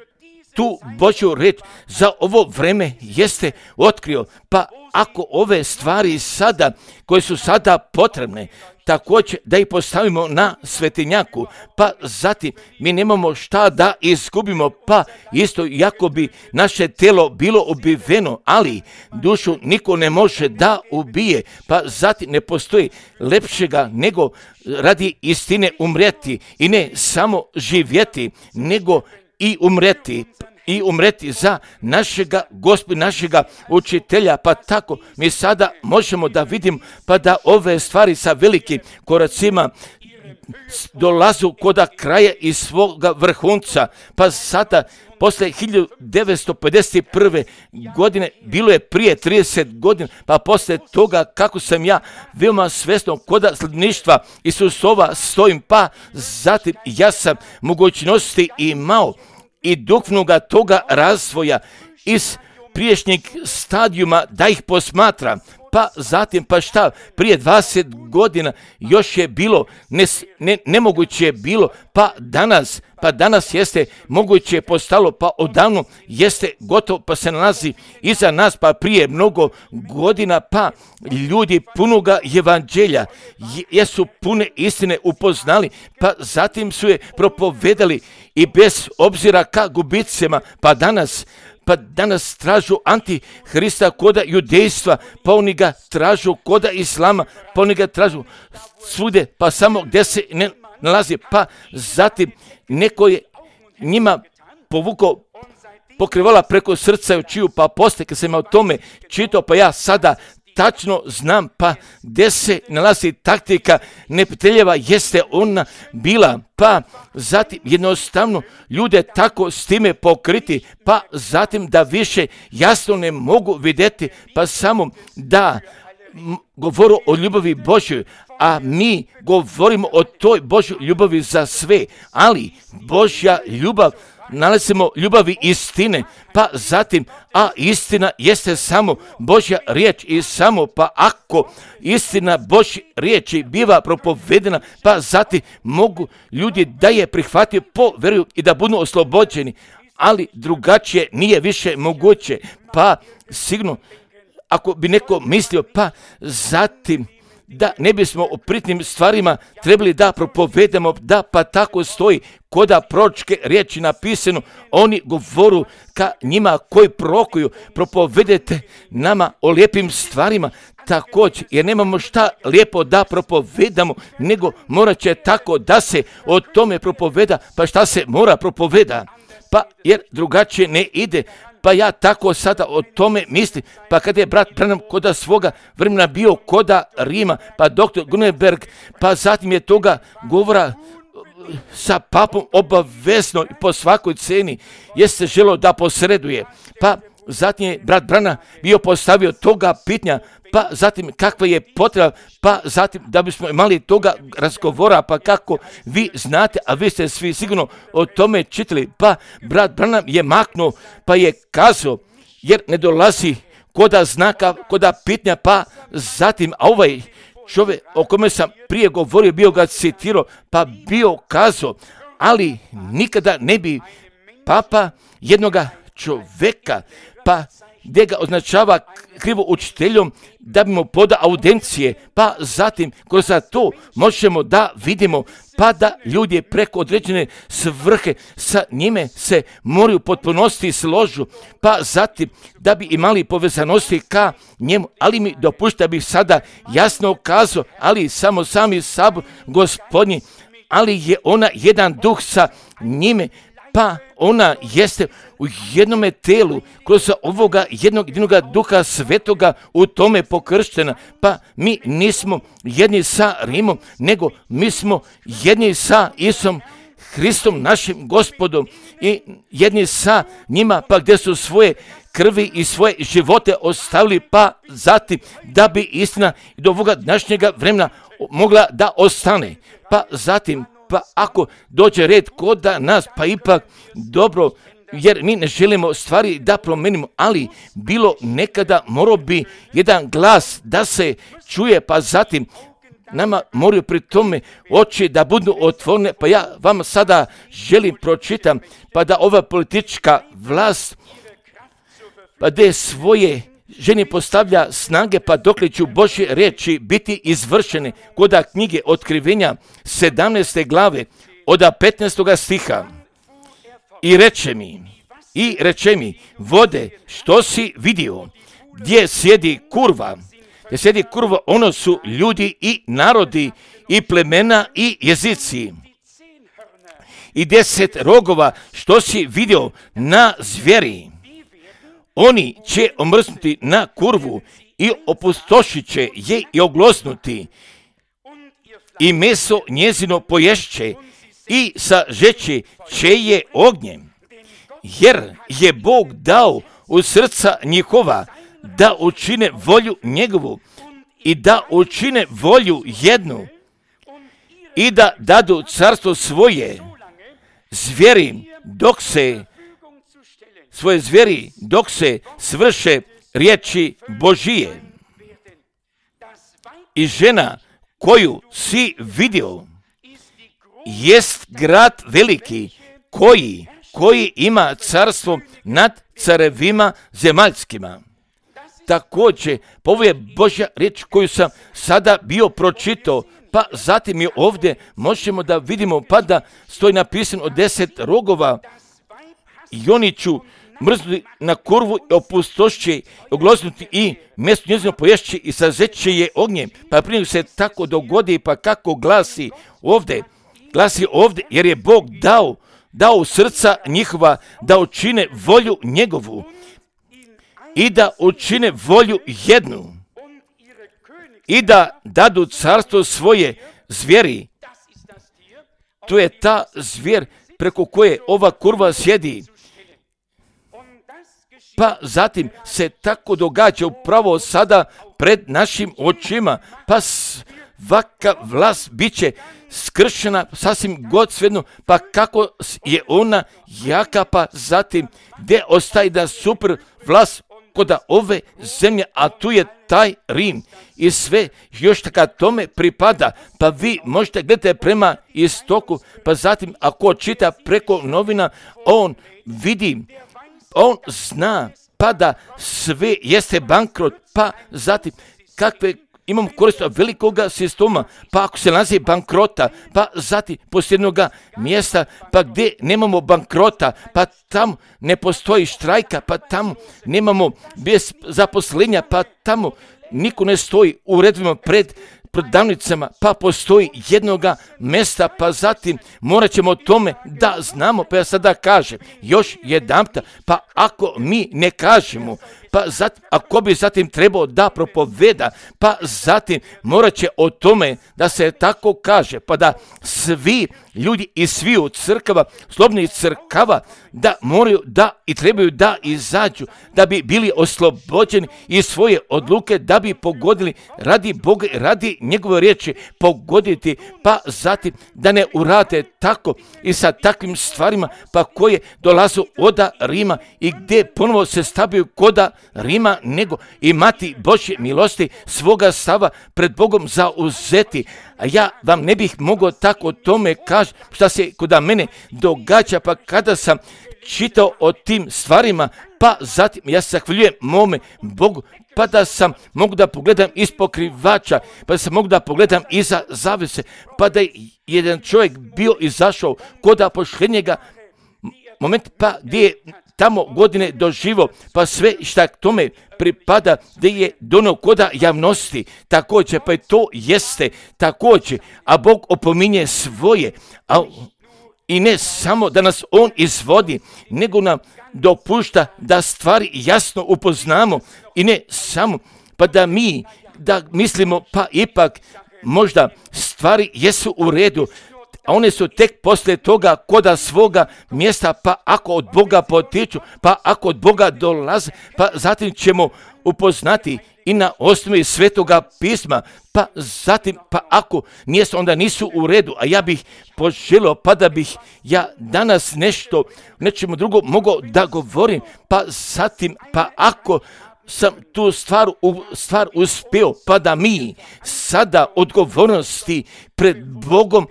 tu Božju reč za ovo vreme jeste otkrio, pa ako ove stvari sada, koje su sada potrebne, također da ih postavimo na svetinjaku, pa zatim mi nemamo šta da izgubimo, pa isto jako bi naše telo bilo ubiveno, ali dušu niko ne može da ubije, pa zatim ne postoji lepšega nego radi istine umreti i ne samo živjeti, nego i umreti. I umreti za našega Gospodina, našega učitelja, pa tako mi sada možemo da vidimo, pa da ove stvari sa velikim koracima dolazu koda kraja i svoga vrhunca, pa sada posle hiljadu devetsto pedeset prve. godine, bilo je prije trideset godina, pa posle toga kako sam ja veoma svjesno koda sledništva Isusova stojim, pa zatim ja sam mogućnosti imao i duhovnoga toga razvoja iz priješnjeg stadijuma da ih posmatram, pa zatim, pa šta, prije dvadeset godina još je bilo, ne, ne, nemoguće je bilo, pa danas, pa danas jeste moguće je postalo, pa odavno jeste gotovo, pa se nalazi iza nas, pa prije mnogo godina, pa ljudi punoga evanđelja, jesu pune istine upoznali, pa zatim su je propovedali i bez obzira ka gubicima, pa danas, pa danas tražu antihrista koda judejstva, pa oni ga tražu koda islama, pa oni ga tražu svude, pa samo gdje se ne nalazi, pa zatim neko je njima povukao pokrivala preko srca i očiju, pa poslije kad sam o tome čitao, pa ja sada tačno znam, pa gdje se nalazi taktika neprijateljeva, jeste ona bila, pa zatim jednostavno ljude tako s time pokriti, pa zatim da više jasno ne mogu vidjeti, pa samo da govoru o ljubavi Božjoj, a mi govorimo o toj Božjoj ljubavi za sve, ali Božja ljubav, nalazimo ljubavi istine, pa zatim, a istina jeste samo Božja riječ i samo, pa ako istina Božje riječi biva propovedena, pa zatim mogu ljudi da je prihvatio po vjeru i da budu oslobođeni, ali drugačije nije više moguće, pa sigurno, ako bi neko mislio, pa zatim, da ne bismo o pritnim stvarima trebali da propovedamo, da pa tako stoji koda proročke riječi napisano, oni govoru ka njima koji prorokuju, propovedete nama o lijepim stvarima također, jer nemamo šta lijepo da propovedamo, nego morat će tako da se o tome propoveda, pa šta se mora propoveda, pa jer drugačije ne ide. Pa ja tako sada o tome mislim, pa kada je brat Branham koda svoga vremena bio koda Rima, pa doktor Grunberg, pa zatim je toga govora sa papom obavezno i po svakoj ceni, jeste želo da posreduje, pa zatim je brat Branham bio postavio toga pitanja, pa zatim kakva je potreba, pa zatim da bismo imali toga razgovora, pa kako vi znate, a vi ste svi sigurno o tome čitali, pa brat Branham je maknuo, pa je kazao, jer ne dolazi koda znaka, koda pitanja, pa zatim, a ovaj čovjek o kome sam prije govorio, bio ga citirao, pa bio kazao, ali nikada ne bi papa jednoga čovjeka, pa gdje ga označava krivo učiteljom, da bi mu poda audencije, pa zatim kroz to možemo da vidimo, pa da ljudi preko određene svrhe sa njime se moraju potpunosti složu, pa zatim da bi imali povezanosti ka njemu, ali mi dopušta bih sada jasno kazao, ali samo sami sabor gospodnji, ali je ona jedan duh sa njime, pa ona jeste u jednome telu, kroz ovoga jednog jedinoga duha svetoga u tome pokrštena, pa mi nismo jedni sa Rimom, nego mi smo jedni sa Isom Hristom, našim gospodom, i jedni sa njima, pa gdje su svoje krvi i svoje živote ostavili, pa zatim da bi istina do ovoga današnjega vremena mogla da ostane, pa zatim, pa ako dođe red kod nas, pa ipak dobro, jer mi ne želimo stvari da promenimo, ali bilo nekada morao bi jedan glas da se čuje, pa zatim nama moraju pri tome oči da budu otvorene, pa ja vam sada želim pročitam, pa da ova politička vlast, pa da svoje ženi postavlja snage, pa dokle će Božje riječi biti izvršene, koda knjige Otkrivenja sedamnaeste glave od petnaestoga stiha. I reče mi, i reče mi, vode, što si vidio, gdje sjedi kurva, gdje sjedi kurva, ono su ljudi i narodi i plemena i jezici. I deset rogova, što si vidio na zvijeri, oni će omrznuti na kurvu i opustošit će je i oglosnuti, i meso njezino poješće i sažeće će je ognjem, jer je Bog dao u srca njihova da učine volju njegovu i da učine volju jednu i da dadu carstvo svoje zvijeri dok se svoje zvijeri dok se svrše riječi Božije. i žena koju si vidio jest grad veliki koji, koji ima carstvo nad carevima zemaljskima. Također, ovo je Božja riječ koju sam sada bio pročitao, pa zatim je ovdje možemo da vidimo pa da stoji napisano od deset rogova i oni ću mrznuti na kurvu i opustošće, ogloznuti i mjesto njezino poješće i sazeće je ognjem. Pa prije se tako dogodi, pa kako glasi ovdje, glasi ovdje, jer je Bog dao, dao srca njihova da učine volju njegovu i da učine volju jednu i da dadu carstvo svoje zvijeri. To je ta zvijer preko koje ova kurva sjedi. Pa zatim se tako događa upravo sada pred našim očima, pa svaka vlast bit će skršena sasvim god svejedno, pa kako je ona jaka, pa zatim gdje ostaje da super vlast koda ove zemlje, a tu je taj Rim i sve još taka tome pripada, pa vi možete gledati prema istoku, pa zatim ako čita preko novina, on vidi, on zna, pa da sve jeste bankrot, pa zatim kakve imamo korist od velikoga sistema, pa ako se nalazi bankrota, pa zatim posljednoga mjesta, pa gdje nemamo bankrota, pa tamo ne postoji štrajka, pa tamo nemamo bez zaposlenja, pa tamo niko ne stoji u redovima pred prodavnicama, pa postoji jednoga mjesta, pa zatim morat ćemo o tome da znamo, pa ja sada kažem još jedanputa, pa ako mi ne kažemo, pa zatim, ako bi zatim trebao da propoveda, pa zatim morat će o tome da se tako kaže, pa da svi ljudi iz sviju crkava, slobodnih crkava, da moraju da i trebaju da izađu, da bi bili oslobođeni iz svoje odluke, da bi pogodili radi Boga, radi njegove riječi pogoditi, pa zatim da ne urade tako i sa takvim stvarima, pa koje dolazu od Rima i gdje ponovo se stavljaju koda Rima, nego imati Božje milosti svoga stava pred Bogom zauzeti. A ja vam ne bih mogao tako o tome kaži šta se kod mene događa, pa kada sam čitao o tim stvarima, pa zatim ja se zahvaljujem mome Bogu, pa da sam mogu da pogledam iz pokrivača, pa da sam mogu da pogledam iza zavese, pa da je jedan čovjek bio izašao kod pošljenjega moment, pa gdje je tamo godine doživo, pa sve šta tome pripada, gdje je donio koda javnosti, također, pa i to jeste također, a Bog opominje svoje, a i ne samo da nas On izvodi, nego nam dopušta da stvari jasno upoznamo i ne samo, pa da mi, da mislimo, pa ipak možda stvari jesu u redu, a one su tek poslije toga koda svoga mjesta, pa ako od Boga potiču, pa ako od Boga dolaze, pa zatim ćemo upoznati i na osnovi Svetoga pisma, pa zatim, pa ako nijesu, onda nisu u redu, a ja bih poželio, pa da bih ja danas nešto, nečemu drugo mogao da govorim, pa zatim, pa ako sam tu stvar, stvar uspio, pa da mi sada odgovornosti pred Bogom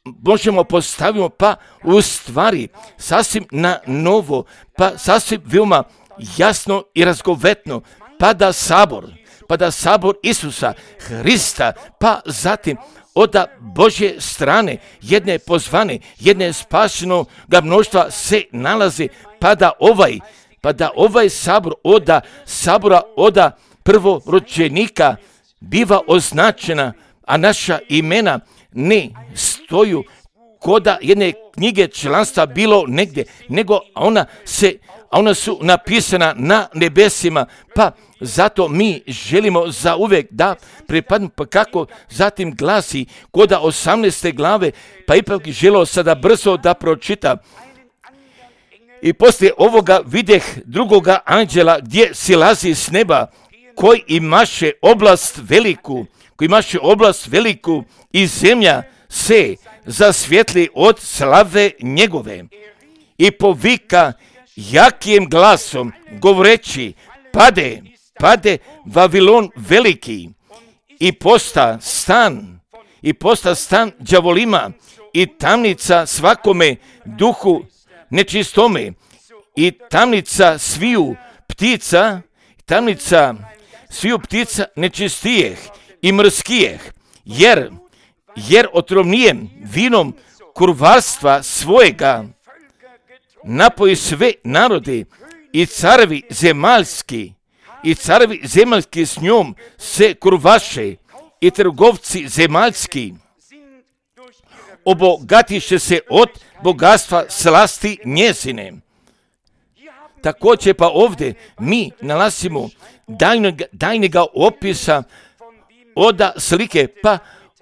možemo postavimo, pa u stvari sasvim na novo, pa sasvim veoma jasno i razgovetno, pa da sabor, pa da sabor Isusa Hrista, pa zatim od Božje strane jedne pozvane, jedne spašenog mnoštva se nalazi, pa da ovaj, pa da ovaj sabor od sabora od prvorođenika biva označena, a naša imena ne stoju koda jedne knjige članstva bilo negdje, nego ona se, ona su napisana na nebesima, pa zato mi želimo za uvijek da pripadnu, pa kako zatim glasi koda osamnaeste glave, pa ipak želio sada brzo da pročita. I poslije ovoga videh drugoga anđela gdje silazi s neba, koji imaše oblast veliku, koji imaše oblast veliku i zemlja se zasvjetli od slave njegove. I povika jakim glasom govoreći, pade, pade Vavilon veliki i posta stan, i posta stan đavolima i tamnica svakome duhu nečistome i tamnica sviju ptica, tamnica sviju ptica nečistijeh i mrskijeh, jer, jer otrovnijem vinom kurvarstva svojega napoji sve narode i carevi zemaljski, i carevi zemaljski s njom se kurvaše i trgovci zemaljski obogatiše se od bogatstva slasti njezine. Također pa ovdje mi nalazimo dajnega, dajnega opisa oda slike, pa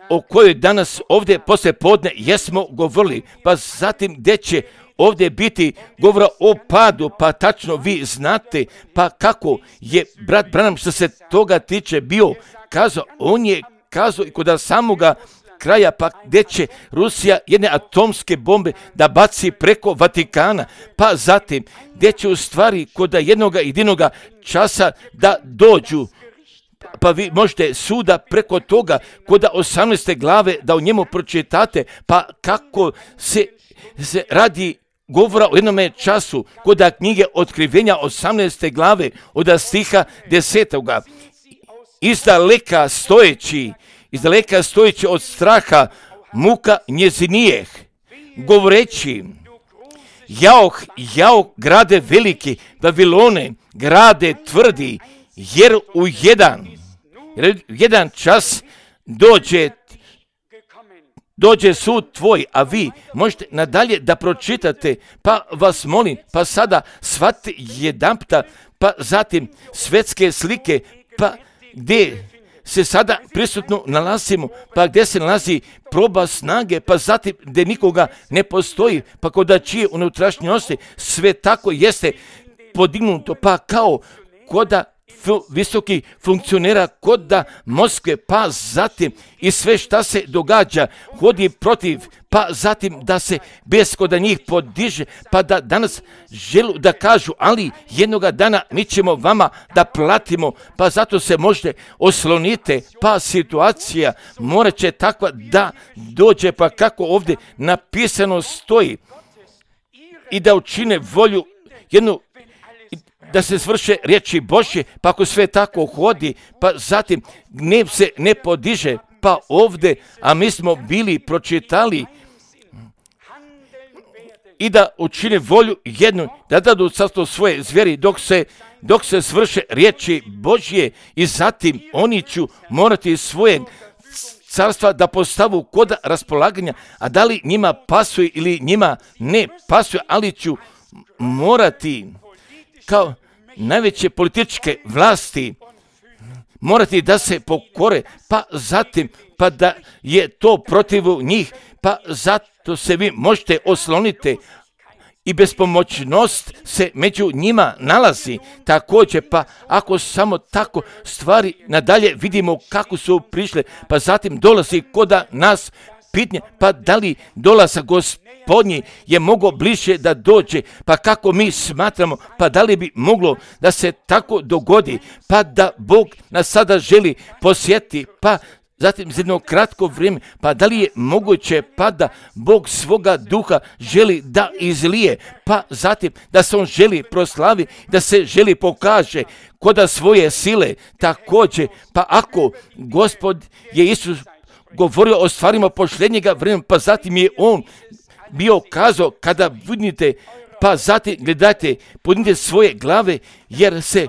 o kojoj danas ovdje poslije podne jesmo govorili, pa zatim gdje će ovdje biti govora o padu, pa tačno vi znate, pa kako je brat Branham što se toga tiče bio kazao, on je kazao i kod samoga kraja, pa gdje će Rusija jedne atomske bombe da baci preko Vatikana, pa zatim gdje će u stvari kod jednoga jedinoga časa da dođu, pa vi možete suda preko toga kod osamnaeste glave da u njemu pročitate, pa kako se, se radi govora o jednome času kod knjige Otkrivenja osamnaeste glave od stiha desetoga. Izdaleka stojeći, izdaleka stojeći od straha muka njezinijeh, govoreći, jaoh, jaoh, grade veliki, Vavilone, grade tvrdi, jer u jedan, jer jedan čas dođe dođe sud tvoj, a vi možete nadalje da pročitate, pa vas molim, pa sada shvatite jedanputa, pa zatim svetske slike, pa gdje se sada prisutno nalazimo, pa gdje se nalazi proba snage, pa zatim gdje nikoga ne postoji, pa kod čije unutrašnjosti sve tako jeste podignuto, pa kao koda visoki funkcionera kod da Moskve, pa zatim i sve šta se događa, hodi protiv, pa zatim da se bez koda njih podiže, pa da danas želu da kažu, ali jednoga dana mi ćemo vama da platimo, pa zato se možete oslonite, pa situacija morat će takva da dođe, pa kako ovdje napisano stoji, i da učine volju jednu, da se svrše riječi Božje, pa ako sve tako hodi, pa zatim gnev se ne podiže, pa ovdje, a mi smo bili pročitali i da učine volju jednu, da dadu carstvo svoje zvijeri dok se, dok se svrše riječi Božje, i zatim oni ću morati svoje carstva da postavu kod raspolaganja, a da li njima pasuje ili njima ne pasuje, ali ću morati kao najveće političke vlasti morati da se pokore, pa zatim pa da je to protiv njih, pa zato se vi možete osloniti i bespomoćnost se među njima nalazi. Također, pa ako samo tako stvari nadalje vidimo kako su prišle, pa zatim dolazi koda nas pitanje, pa da li dolazak Gospodnji je mogao bliže da dođe, pa kako mi smatramo, pa da li bi moglo da se tako dogodi, pa da Bog nas sada želi posjetiti, pa zatim za jedno kratko vrijeme, pa da li je moguće pa da Bog svoga duha želi da izlije, pa zatim da se on želi proslavi, da se želi pokaže koda svoje sile također, pa ako Gospod je Isus govorio o stvarima posljednjega vremena, pa zatim je on bio kazao kada vidite, pa zatim gledajte, podignite svoje glave jer se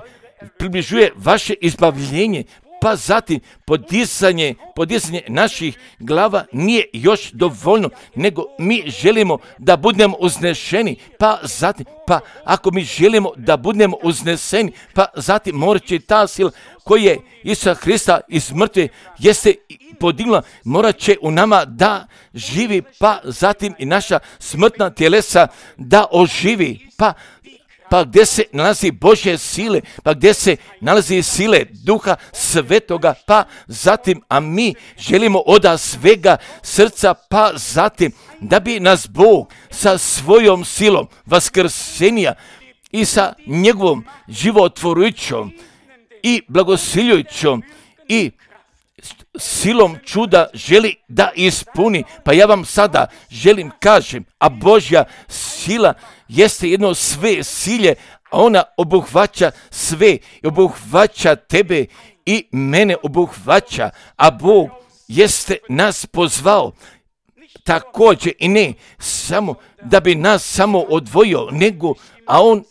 približuje vaše izbavljenje, pa zatim podizanje, podizanje naših glava nije još dovoljno, nego mi želimo da budemo uznešeni, pa zatim, pa ako mi želimo da budemo uzneseni, pa zatim morat će ta sila koja je Isusa Hrista iz mrtve jeste podigla, morat će u nama da živi, pa zatim i naša smrtna tjelesa da oživi, pa pa gdje se nalazi Božje sile, pa gdje se nalazi sile Duha Svetoga, pa zatim, a mi želimo od svega srca, pa zatim, da bi nas Bog sa svojom silom vaskrsenja i sa njegovom životvorujućom i blagosiljujućom i silom čuda želi da ispuni. Pa ja vam sada želim kažem, a Božja sila jeste jedno sve silje, a ona obuhvaća sve, obuhvaća tebe i mene obuhvaća, a Bog jeste nas pozvao također i ne samo da bi nas samo odvojio, nego, a on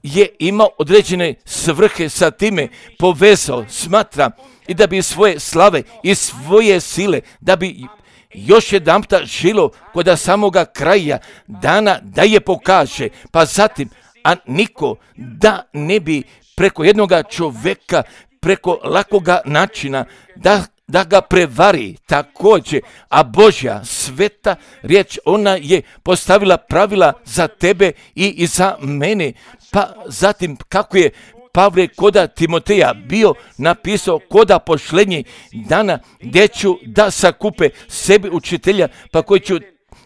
je imao određene svrhe sa time povezao, smatra, i da bi svoje slave i svoje sile, da bi još jedanputa žilo kod samoga kraja dana da je pokaže, pa zatim, a niko da ne bi preko jednoga čovjeka, preko lakoga načina, da da ga prevari također, a Božja sveta riječ, ona je postavila pravila za tebe i, i za mene. Pa zatim kako je Pavle koda Timoteja bio napisao koda pošlenje dana gdje ću da sakupe sebi učitelja, pa koji ću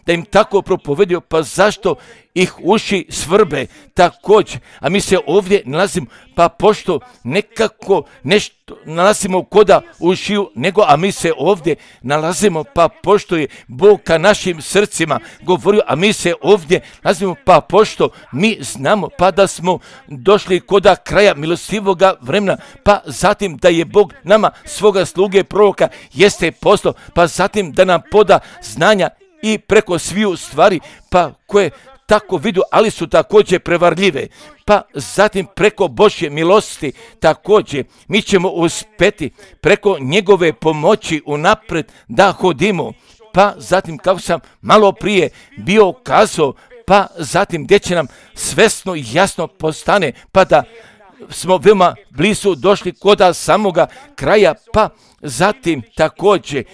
da im tako propovedio, pa zašto ih uši svrbe također. A mi se ovdje nalazimo, pa pošto nekako nešto nalazimo koda ušiju, nego a mi se ovdje nalazimo, pa pošto je Bog ka našim srcima govorio, a mi se ovdje nalazimo, pa pošto mi znamo, pa da smo došli koda kraja milostivoga vremena, pa zatim da je Bog nama svoga sluge proroka jeste poslao, pa zatim da nam poda znanja i preko sviju stvari, pa koje tako vidu, ali su također prevarljive. Pa zatim preko Božje milosti također mi ćemo uspjeti preko njegove pomoći unaprijed da hodimo. Pa zatim kako sam malo prije bio kazao, pa zatim gdje će nam svesno i jasno postane, pa da smo veoma blizu došli koda samoga kraja, pa zatim također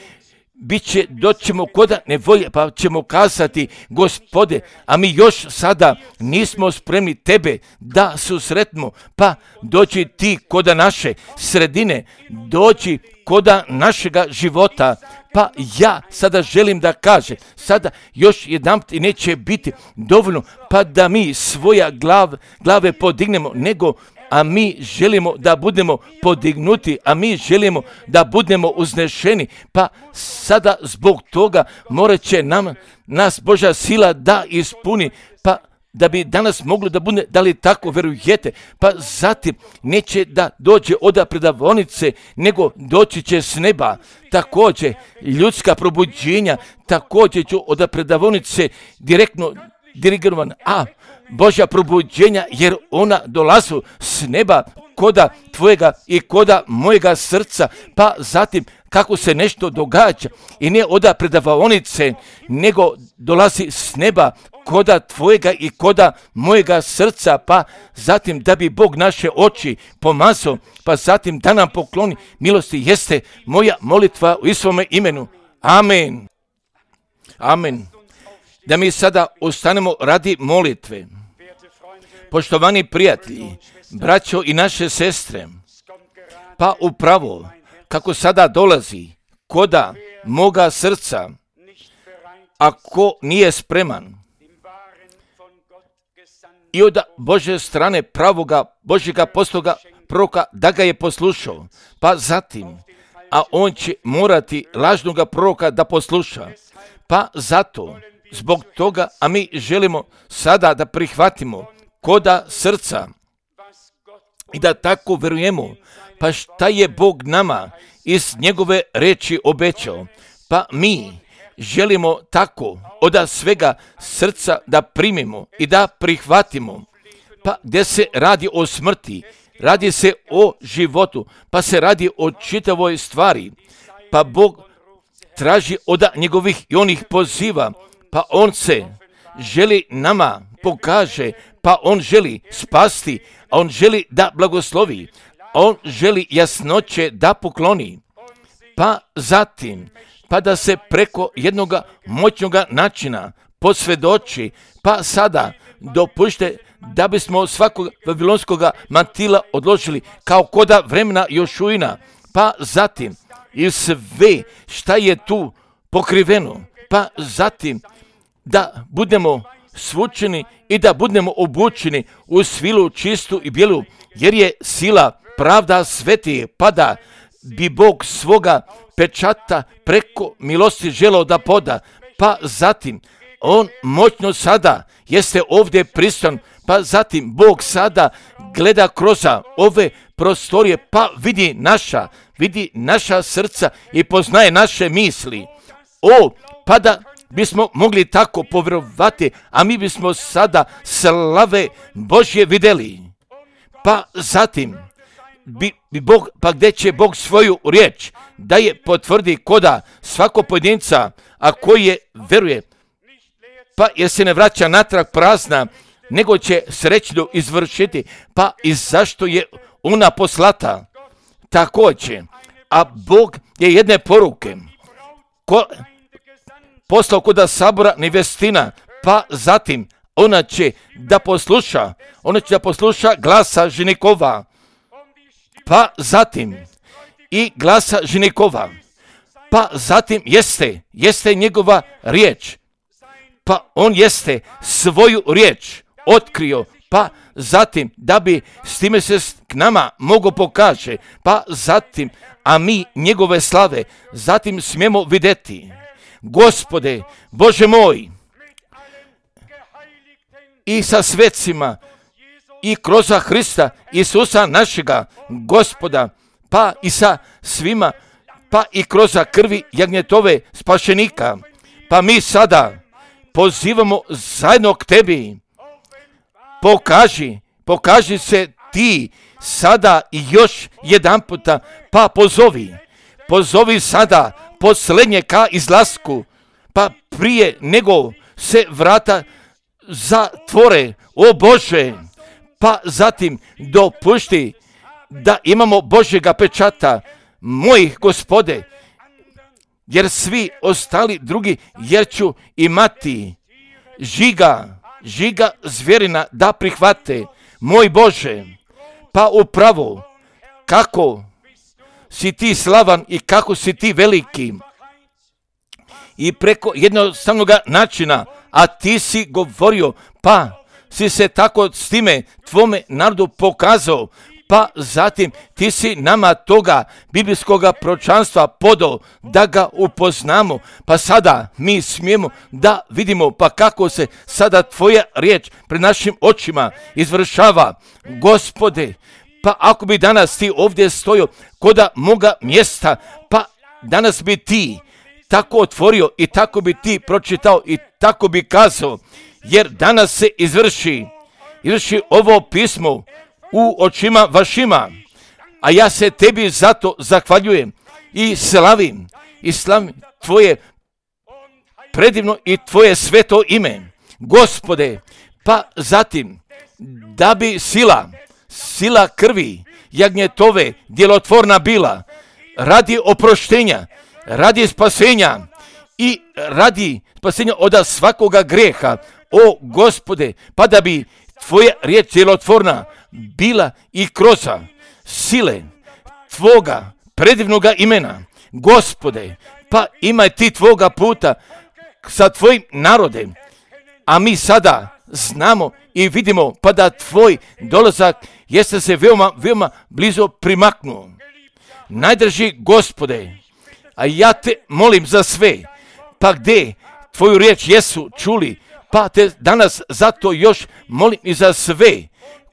Biće, doćemo koda nevolje, pa ćemo kazati, Gospode, a mi još sada nismo spremni tebe da susretimo, pa dođi ti koda naše sredine, dođi koda našega života. Pa ja sada želim da kažem, sada još jedanput i neće biti dovoljno, pa da mi svoja glav, glave podignemo, nego a mi želimo da budemo podignuti, a mi želimo da budemo uznešeni, pa sada zbog toga morat će nam, nas Božja sila da ispuni, pa da bi danas moglo da bude, da li tako verujete, pa zatim neće da dođe od predavonice, nego doći će s neba. Također ljudska probuđenja, također ću od predavonice direktno dirigirovan, a Božja probuđenja, jer ona dolazu s neba koda tvojega i koda mojega srca, pa zatim kako se nešto događa i ne oda predavaonice, nego dolazi s neba koda tvojega i koda mojega srca, pa zatim da bi Bog naše oči pomazao, pa zatim da nam pokloni milosti, jeste moja molitva u svome imenu. Amen. Amen. Da mi sada ostanemo radi molitve. Poštovani prijatelji, braćo i naše sestre, pa upravo kako sada dolazi koda moga srca, ako nije spreman i od Božje strane pravoga Božjega postoga proroka da ga je poslušao, pa zatim, a on će morati lažnoga proroka da posluša, pa zato, zbog toga, a mi želimo sada da prihvatimo koda srca i da tako verujemo, pa šta je Bog nama iz njegove reči obećao, pa mi želimo tako od svega srca da primimo i da prihvatimo, pa gdje se radi o smrti, radi se o životu, pa se radi o čitavoj stvari, pa Bog traži od njegovih i onih poziva, pa on se želi nama pokaže, pa on želi spasti, a on želi da blagoslovi, a on želi jasnoće da pokloni, pa zatim, pa da se preko jednoga moćnoga načina posvjedoči, pa sada dopušte da bismo svakog vavilonskog mantila odložili kao koda vremena Jošuina, pa zatim i sve šta je tu pokriveno, pa zatim da budemo svučeni i da budemo obučeni u svilu čistu i bijelu, jer je sila pravda sveti, pa da bi Bog svoga pečata preko milosti želeo da poda, pa zatim on moćno sada jeste ovdje prisutan, pa zatim Bog sada gleda kroz ove prostorije, pa vidi naša, vidi naša srca i poznaje naše misli. O, pa da bismo mogli tako povjerovati, a mi bismo sada slave Božje vidjeli. Pa zatim, bi, bi Bog, pa gdje će Bog svoju riječ da je potvrdi koda svako pojedinca, a koji je veruje, pa jer se ne vraća natrag prazna, nego će srećno izvršiti, pa i zašto je ona poslata. Također, a Bog je jedne poruke ko, poslao kod sabora nevestina, pa zatim ona će da posluša, ona će da posluša glasa ženikova, pa zatim i glasa ženikova, pa zatim jeste, jeste njegova riječ, pa on jeste svoju riječ otkrio, pa zatim da bi s time se k nama mogo pokaže, pa zatim, a mi njegove slave zatim smijemo vidjeti. Gospode, Bože moj, i sa svecima i kroz Hrista Isusa našega Gospoda, pa i sa svima, pa i kroz krvi jagnjetove spašenika, pa mi sada pozivamo zajedno k tebi. Pokaži, pokaži se ti sada i još jedan puta, pa pozovi, pozovi sada posljednje ka izlasku, pa prije nego se vrata zatvore, o Bože, pa zatim dopušti da imamo Božjega pečata, mojih Gospode, jer svi ostali drugi, jer ću imati žiga, žiga zvjerina da prihvate, moj Bože, pa upravo kako si ti slavan i kako si ti veliki i preko jednostavnog načina, a ti si govorio, pa si se tako s time tvome narodu pokazao, pa zatim ti si nama toga biblijskog proročanstva podao da ga upoznamo, pa sada mi smijemo da vidimo pa kako se sada tvoja riječ pred našim očima izvršava. Gospode, pa ako bi danas ti ovdje stojio koda moga mjesta, pa danas bi ti tako otvorio i tako bi ti pročitao i tako bi kazao, jer danas se izvrši, izvrši ovo pismo u očima vašima, a ja se tebi zato zahvaljujem i slavim, i slavim tvoje predivno i tvoje sveto ime, Gospode, pa zatim da bi sila, sila krvi jagnjetove djelotvorna bila, radi oproštenja, radi spasenja i radi spasenja od svakoga grijeha, o Gospode, pa da bi tvoja riječ djelotvorna bila i kroz sile tvoga predivnoga imena, Gospode, pa imaj ti tvoga puta sa tvojim narodem, a mi sada znamo i vidimo pa da tvoj dolazak jeste se veoma, veoma blizo primaknuo. Najdrži Gospode, a ja te molim za sve, pa gdje tvoju riječ jesu čuli, pa te danas zato još molim i za sve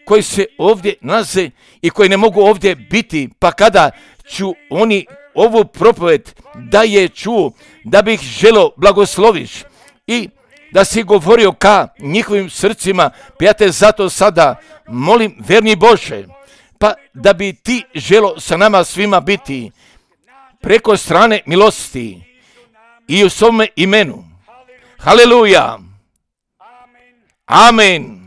koji se ovdje nalaze i koji ne mogu ovdje biti, pa kada ću oni ovu propoved da je čuo, da bih želio blagosloviš i da si govorio ka njihovim srcima, pa ja te zato sada molim, verni Bože, pa da bi ti želo sa nama svima biti preko strane milosti i u svome imenu. Haleluja. Amen.